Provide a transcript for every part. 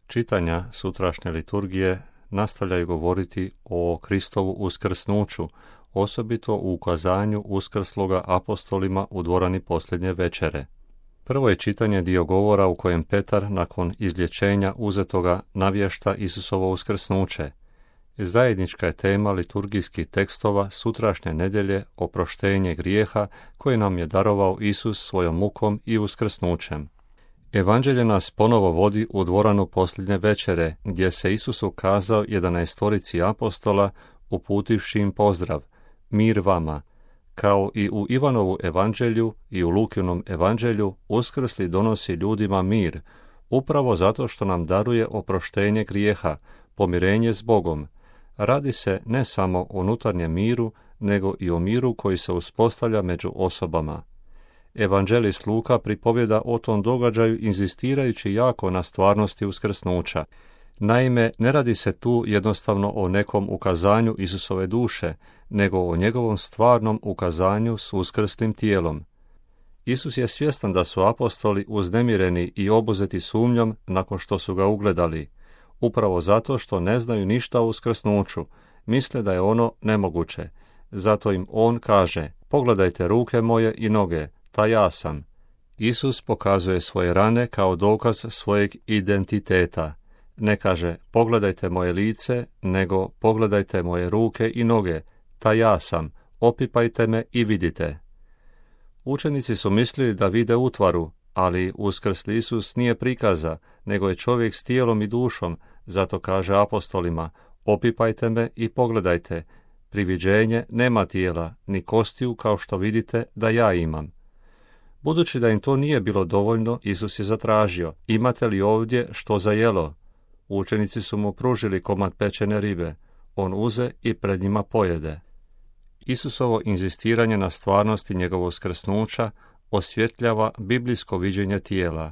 Čitanja sutrašnje liturgije nastavljaju govoriti o Kristovu uskrsnuću, osobito u ukazanju uskrsloga apostolima u dvorani posljednje večere. Prvo je čitanje dio govora u kojem Petar nakon izlječenja uzetoga navješta Isusovo uskrsnuće. Zajednička je tema liturgijskih tekstova sutrašnje nedjelje oproštenje grijeha koje nam je darovao Isus svojom mukom i uskrsnućem. Evanđelje nas ponovo vodi u dvoranu posljednje večere, gdje se Isus ukazao 11 apostola, uputivši im pozdrav, mir vama. Kao i u Ivanovu evanđelju i u Lukinom evanđelju, uskrsli donosi ljudima mir, upravo zato što nam daruje oproštenje grijeha, pomirenje s Bogom. Radi se ne samo o unutarnjem miru, nego i o miru koji se uspostavlja među osobama. Evanđelist Luka pripovjeda o tom događaju inzistirajući jako na stvarnosti uskrsnuća. Naime, ne radi se tu jednostavno o nekom ukazanju Isusove duše, nego o njegovom stvarnom ukazanju s uskrslim tijelom. Isus je svjestan da su apostoli uznemireni i obuzeti sumnjom nakon što su ga ugledali, upravo zato što ne znaju ništa o uskrsnuću, misle da je ono nemoguće. Zato im on kaže, pogledajte ruke moje i noge, ta ja sam. Isus pokazuje svoje rane kao dokaz svojeg identiteta. Ne kaže, pogledajte moje lice, nego pogledajte moje ruke i noge, ta ja sam, opipajte me i vidite. Učenici su mislili da vide utvaru, ali uskrsli Isus nije prikaza, nego je čovjek s tijelom i dušom, zato kaže apostolima, opipajte me i pogledajte, pri viđenje nema tijela, ni kostiju kao što vidite da ja imam. Budući da im to nije bilo dovoljno, Isus je zatražio, imate li ovdje što za jelo? Učenici su mu pružili komad pečene ribe, on uze i pred njima pojede. Isusovo inzistiranje na stvarnosti njegovog uskrsnuća osvjetljava biblijsko viđenje tijela.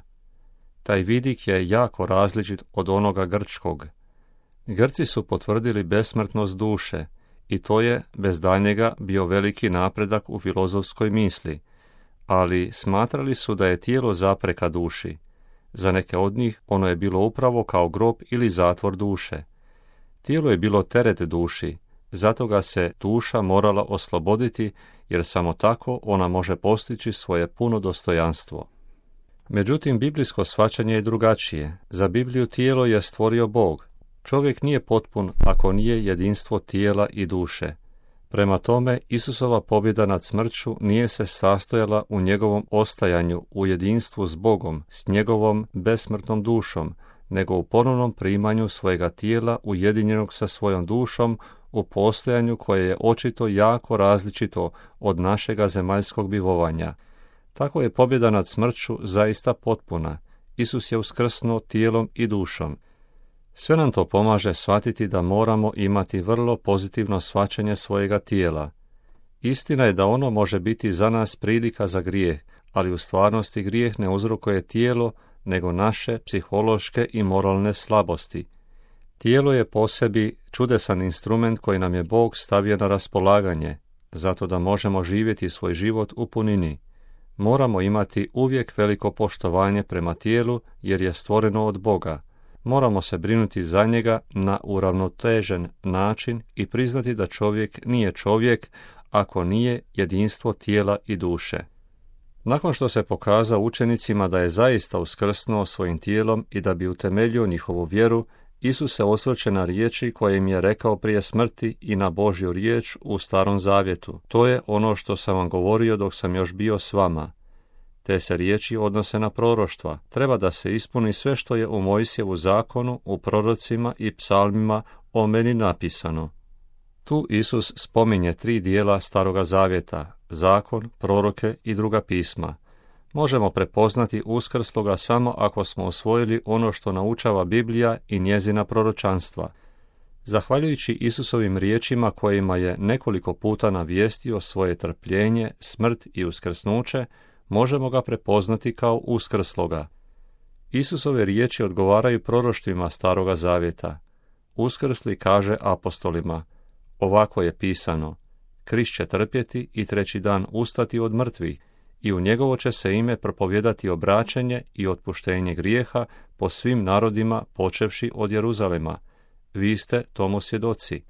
Taj vidik je jako različit od onoga grčkog. Grci su potvrdili besmrtnost duše i to je bez daljnjega bio veliki napredak u filozofskoj misli, ali smatrali su da je tijelo zapreka duši. Za neke od njih ono je bilo upravo kao grob ili zatvor duše. Tijelo je bilo teret duši, zato ga se duša morala osloboditi, jer samo tako ona može postići svoje puno dostojanstvo. Međutim, biblijsko shvaćanje je drugačije. Za Bibliju tijelo je stvorio Bog. Čovjek nije potpun ako nije jedinstvo tijela i duše. Prema tome, Isusova pobjeda nad smrću nije se sastojala u njegovom ostajanju u jedinstvu s Bogom, s njegovom besmrtnom dušom, nego u ponovnom primanju svojega tijela ujedinjenog sa svojom dušom u postojanju koje je očito jako različito od našega zemaljskog bivovanja. Tako je pobjeda nad smrću zaista potpuna. Isus je uskrsnuo tijelom i dušom. Sve nam to pomaže shvatiti da moramo imati vrlo pozitivno shvaćanje svojega tijela. Istina je da ono može biti za nas prilika za grijeh, ali u stvarnosti grijeh ne uzrokuje tijelo, nego naše psihološke i moralne slabosti. Tijelo je po sebi čudesan instrument koji nam je Bog stavio na raspolaganje, zato da možemo živjeti svoj život u punini. Moramo imati uvijek veliko poštovanje prema tijelu, jer je stvoreno od Boga. Moramo se brinuti za njega na uravnotežen način i priznati da čovjek nije čovjek ako nije jedinstvo tijela i duše. Nakon što se pokazao učenicima da je zaista uskrsnuo svojim tijelom i da bi utemeljio njihovu vjeru, Isus se osvrće na riječi koje im je rekao prije smrti i na Božju riječ u Starom Zavjetu. To je ono što sam vam govorio dok sam još bio s vama. Te se riječi odnose na proroštva. Treba da se ispuni sve što je u Mojsijevu zakonu, u prorocima i psalmima o meni napisano. Tu Isus spominje 3 dijela Staroga Zavjeta, zakon, proroke i druga pisma. Možemo prepoznati uskrsloga samo ako smo usvojili ono što naučava Biblija i njezina proročanstva. Zahvaljujući Isusovim riječima kojima je nekoliko puta navijestio svoje trpljenje, smrt i uskrsnuće, možemo ga prepoznati kao uskrsloga. Isusove riječi odgovaraju proroštvima Staroga Zavjeta. Uskrsli kaže apostolima, ovako je pisano, Krist će trpjeti i 3. dan ustati od mrtvih i u njegovo će se ime propovijedati obraćenje i otpuštenje grijeha po svim narodima počevši od Jeruzalema. Vi ste tomu svjedoci.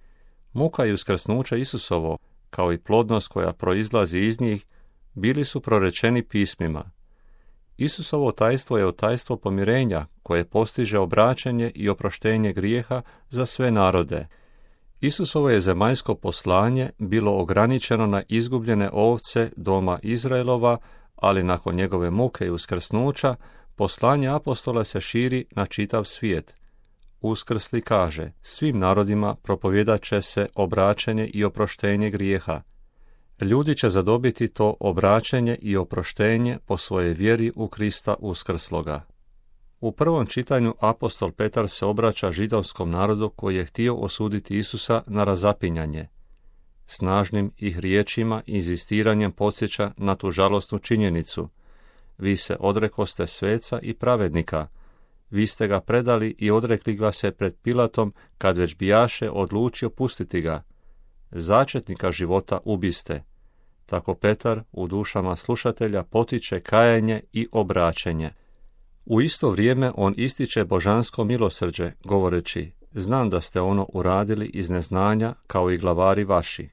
Muka i uskrsnuće Isusovo, kao i plodnost koja proizlazi iz njih, bili su prorečeni pismima. Isusovo tajstvo je otajstvo pomirenja koje postiže obraćanje i oproštenje grijeha za sve narode. Isusovo je zemaljsko poslanje bilo ograničeno na izgubljene ovce doma Izraelova, ali nakon njegove muke i uskrsnuća, poslanje apostola se širi na čitav svijet. Uskrsli kaže, svim narodima propovijedat će se obraćanje i oproštenje grijeha. Ljudi će zadobiti to obraćenje i oproštenje po svojoj vjeri u Krista uskrsloga. U prvom čitanju apostol Petar se obraća židovskom narodu koji je htio osuditi Isusa na razapinjanje. Snažnim ih riječima i inzistiranjem podsjeća na tu žalosnu činjenicu. Vi se odrekoste sveca i pravednika. Vi ste ga predali i odrekli ga se pred Pilatom kad već bijaše odlučio pustiti ga. Začetnika života ubiste. Tako Petar u dušama slušatelja potiče kajanje i obraćenje. U isto vrijeme on ističe božansko milosrđe, govoreći, znam da ste ono uradili iz neznanja kao i glavari vaši.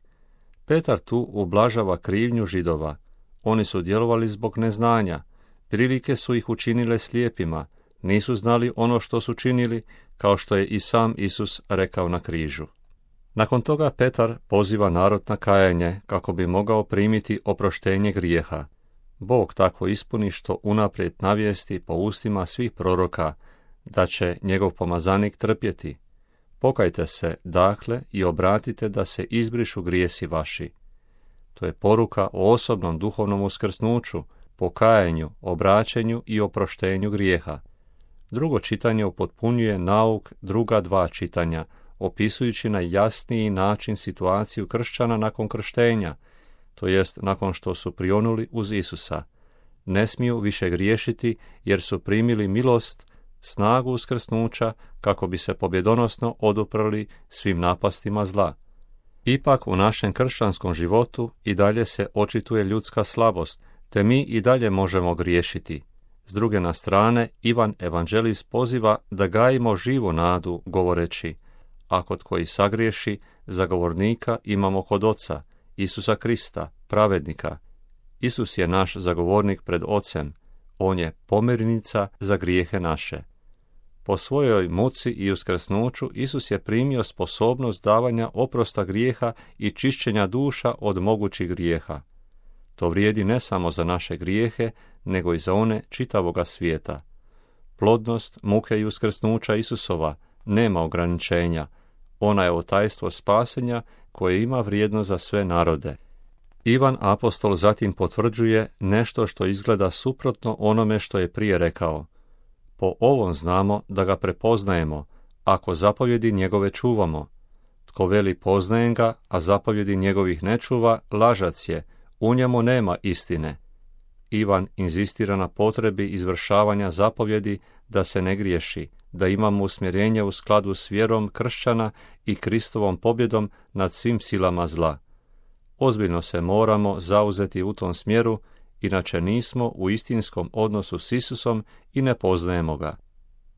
Petar tu ublažava krivnju Židova. Oni su djelovali zbog neznanja. Prilike su ih učinile slijepima. Nisu znali ono što su činili, kao što je i sam Isus rekao na križu. Nakon toga Petar poziva narod na kajanje kako bi mogao primiti oproštenje grijeha. Bog tako ispuni što unaprijed navijesti po ustima svih proroka da će njegov pomazanik trpjeti. Pokajte se, dakle, i obratite da se izbrišu grijesi vaši. To je poruka o osobnom duhovnom uskrsnuću, pokajanju, obraćenju i oproštenju grijeha. Drugo čitanje upotpunjuje nauk druga dva čitanja, opisujući na jasniji način situaciju kršćana nakon krštenja, to jest nakon što su prionuli uz Isusa. Ne smiju više griješiti jer su primili milost, snagu uskrsnuća kako bi se pobjedonosno oduprli svim napastima zla. Ipak u našem kršćanskom životu i dalje se očituje ljudska slabost, te mi i dalje možemo griješiti. S druge na strane, Ivan Evanđelist poziva da gajimo živu nadu, govoreći, a kod koji sagriješi, zagovornika imamo kod Oca, Isusa Krista, pravednika. Isus je naš zagovornik pred Ocem, on je pomirnica za grijehe naše. Po svojoj muci i uskrsnuću Isus je primio sposobnost davanja oprosta grijeha i čišćenja duša od mogućih grijeha. To vrijedi ne samo za naše grijehe, nego i za one čitavoga svijeta. Plodnost muke i uskrsnuća Isusova nema ograničenja. Ona je otajstvo spasenja koje ima vrijednost za sve narode. Ivan apostol zatim potvrđuje nešto što izgleda suprotno onome što je prije rekao. Po ovom znamo da ga prepoznajemo, ako zapovjedi njegove čuvamo. Tko veli poznajem ga, a zapovjedi njegovih ne čuva, lažac je, u njemu nema istine. Ivan inzistira na potrebi izvršavanja zapovjedi da se ne griješi, da imamo usmjerenje u skladu s vjerom kršćana i Kristovom pobjedom nad svim silama zla. Ozbiljno se moramo zauzeti u tom smjeru, inače nismo u istinskom odnosu s Isusom i ne poznajemo ga.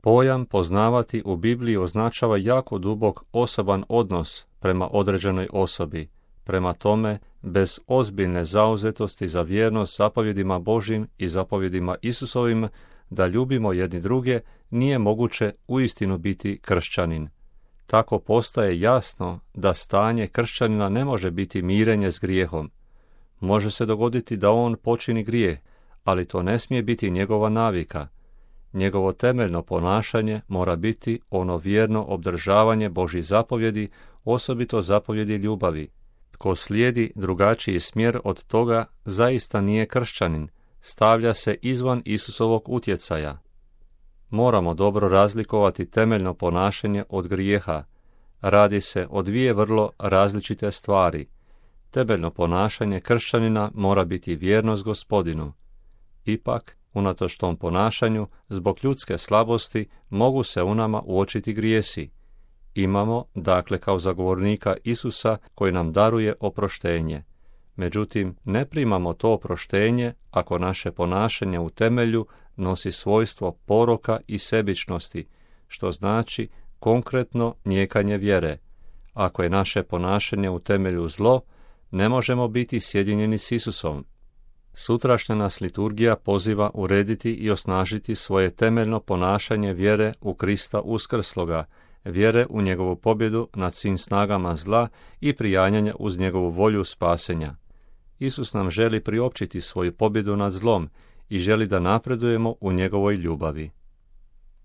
Pojam poznavati u Bibliji označava jako dubok osoban odnos prema određenoj osobi. Prema tome, bez ozbiljne zauzetosti za vjernost zapovjedima Božjim i zapovjedima Isusovim, da ljubimo jedni druge, nije moguće uistinu biti kršćanin. Tako postaje jasno da stanje kršćanina ne može biti mirenje s grijehom. Može se dogoditi da on počini grijeh, ali to ne smije biti njegova navika. Njegovo temeljno ponašanje mora biti ono vjerno obdržavanje Božjih zapovjedi, osobito zapovjedi ljubavi. Tko slijedi drugačiji smjer od toga, zaista nije kršćanin, stavlja se izvan Isusovog utjecaja. Moramo dobro razlikovati temeljno ponašanje od grijeha. Radi se o dvije vrlo različite stvari. Temeljno ponašanje kršćanina mora biti vjernost Gospodinu. Ipak, unatoč tom ponašanju, zbog ljudske slabosti, mogu se u nama uočiti grijesi. Imamo, dakle, kao zagovornika Isusa koji nam daruje oproštenje. Međutim, ne primamo to oproštenje ako naše ponašanje u temelju nosi svojstvo poroka i sebičnosti, što znači konkretno nijekanje vjere. Ako je naše ponašanje u temelju zlo, ne možemo biti sjedinjeni s Isusom. Sutrašnja nas liturgija poziva urediti i osnažiti svoje temeljno ponašanje vjere u Krista uskrsloga, vjere u njegovu pobjedu nad svim snagama zla i prijanjanja uz njegovu volju spasenja. Isus nam želi priopćiti svoju pobjedu nad zlom i želi da napredujemo u njegovoj ljubavi.